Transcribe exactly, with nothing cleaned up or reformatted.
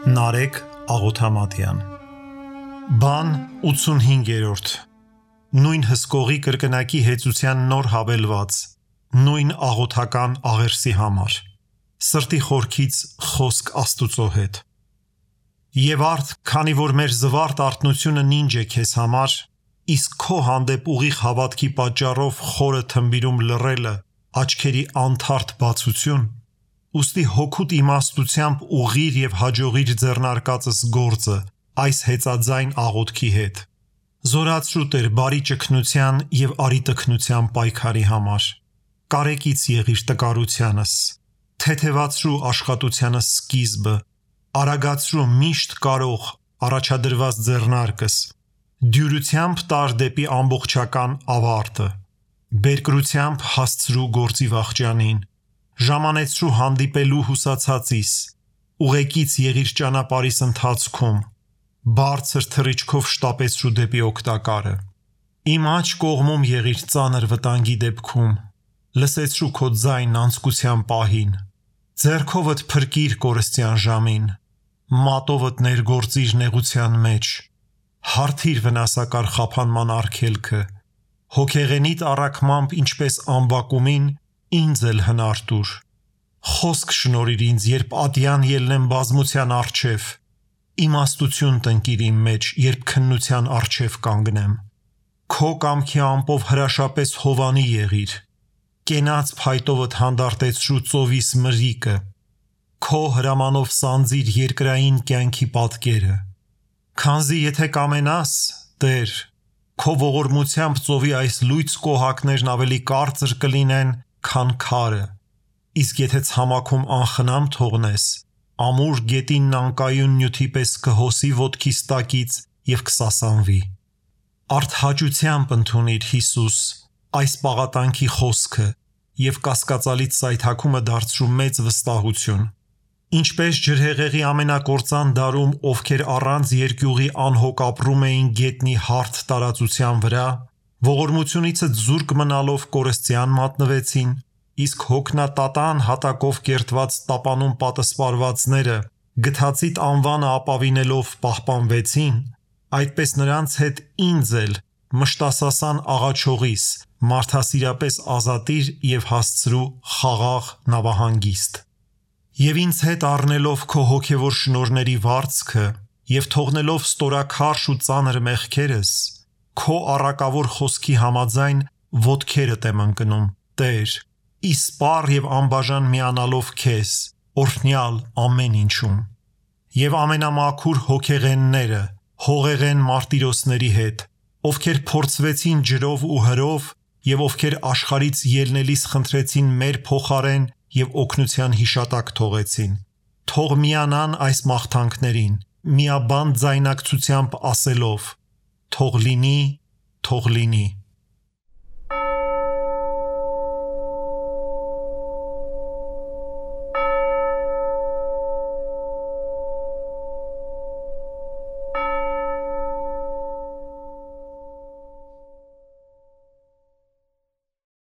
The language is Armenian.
Նարեկ Աղոթամատյան Բան ութսունհինգերորդ Նույն հսկողի կրկնակի հեծության նոր հավելված Նույն աղոթական աղերսի համար Սրտի խորքից խոսք Աստուծո հետ Եվ արդ, քանի որ մեր զվարթ արթնությունը նինջ է քեզ համար, իսկ քո հանդեպ ուղիղ հավատքի պատճառով խորը թմբիրում լռելը աչքերի անթարթ բացություն, ուստի հոգուտ իմաստությամբ ուղղիր և հաջողիր ձեռնարկածս գործը այս հեծաձայն աղոթքի հետ։ Զորացրու Տեր բարի ճգնության և արիտքնության պայքարի համար։ Կարեկից եղիր տկարությանս, թեթևացրու աշխատությանս սկիզբը, արագացրու միշտ կարող առաջադրված ձեռնարկս, դյուրությամբ տար դեպի ամբողջական ավարտը, բերկրությամբ հասցրու գործի վախճանին, ժամանեցրու հանդիպելու հուսացածիս, ուղեկից եղիր ճանապարհիս ընթացքում, բարձր թռիչքով շտապեցրու դեպի օգտակարը։ Իմ աջ կողմում եղիր ծանր վտանգի դեպքում, լսեցրու քո ձայնն անձկության պահին, ձեռքովդ փրկիր կորստյան ժամին, մատովդ ներգործիր նեղության մեջ, հարթիր վնասակար խափանման արգելքը, հոգեղենիդ առաքմամբ ինչպես ամբակումին, ինձ էլ հնար տուր, խոսք շնորհիր ինձ, երբ ատյան ելնեմ բազմության առջև, իմաստություն տնկիր իմ մեջ, երբ քննության առջև կանգնեմ, քո կամքի ամպով հրաշապես հովանի եղիր, կենաց փայտովդ հանդարտեցրու ծովիս մրրիկը, քո հրամանով սանձիր երկրային կյանքի պատկերը, քանզի եթե կամենաս, Տեր, քո ողորմությամբ ծովի այս լույծ կոհակներն ավելի կարծր կլինեն, քան քարը, իսկ եթե ցամաքում անխնամ թողնես, ամուր գետինն անկայուն նյութի պես կհոսի ոտքիս տակից և կսասանվի։ Արդհաճությամբ ընդունիր, Հիսուս, այս պաղատանքի խոսքը և կասկածալից սայթաքումը դարձրու մեծ վստահություն։ Ինչպես ջրհեղեղի ամենակործան դարում, ովքեր առանց երկյուղի անհոգ ապրում էին գետնի հարթ տարածության վրա, ողորմությունիցդ զուրկ մնալով կորստյան մատնվեցին, իսկ հոգնատատան հատակով կերտված տապանում պատսպարվածները գթածիդ անվանը ապավինելով պահպանվեցին, այդպես նրանց հետ ինձ էլ մշտասասան աղաչողիս մարդասիրապես ազատիր և հասցրու խաղաղ նավահանգիստ։ Եվ ինձ հետ առնելով քո հոգևոր շնորհների վարձքը և թողնելով ստորաքարշ ու ծանր մեղքերս, քո առակավոր խոսքի համաձայն ոտքերդ եմ ընկնում, Տեր, իսպառ և անբաժան միանալով քեզ, օրհնյալ ամեն ինչում։ Եվ ամենամաքուր հոգեղենները, հողեղեն մարտիրոսների հետ, ովքեր փորձվեցին ջրով ու հրով և ովքեր աշխարհից ելնելիս խնդրեցին մեր փոխարեն և օգնության հիշատակ թողեցին, թող միանան այս մաղթանքներին, միաբանդ ձայնակցությամբ ասելով. «Թող լինի, թող լինի»։